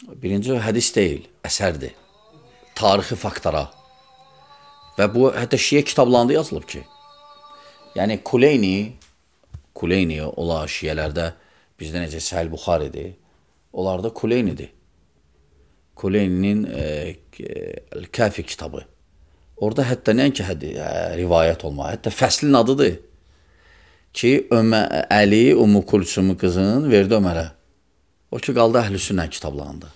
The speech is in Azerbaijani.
Birinci hədis deyil, əsərdir. Tarixi faktlara. Və bu, hətta şiə kitablarında yazılıb ki, yəni Kuleyni ola şiələrdə, bizdə necə Səhih Buxaridir, onlarda Kuleynidir. Kuleyninin Kafi kitabı. Orada hətta nəinki rivayət olma, hətta fəslin adıdır ki, Əli Ümmü Kulsum qızın verdi Ömərə. O ki, qaldı Əhl-i Sünnə kitablarında.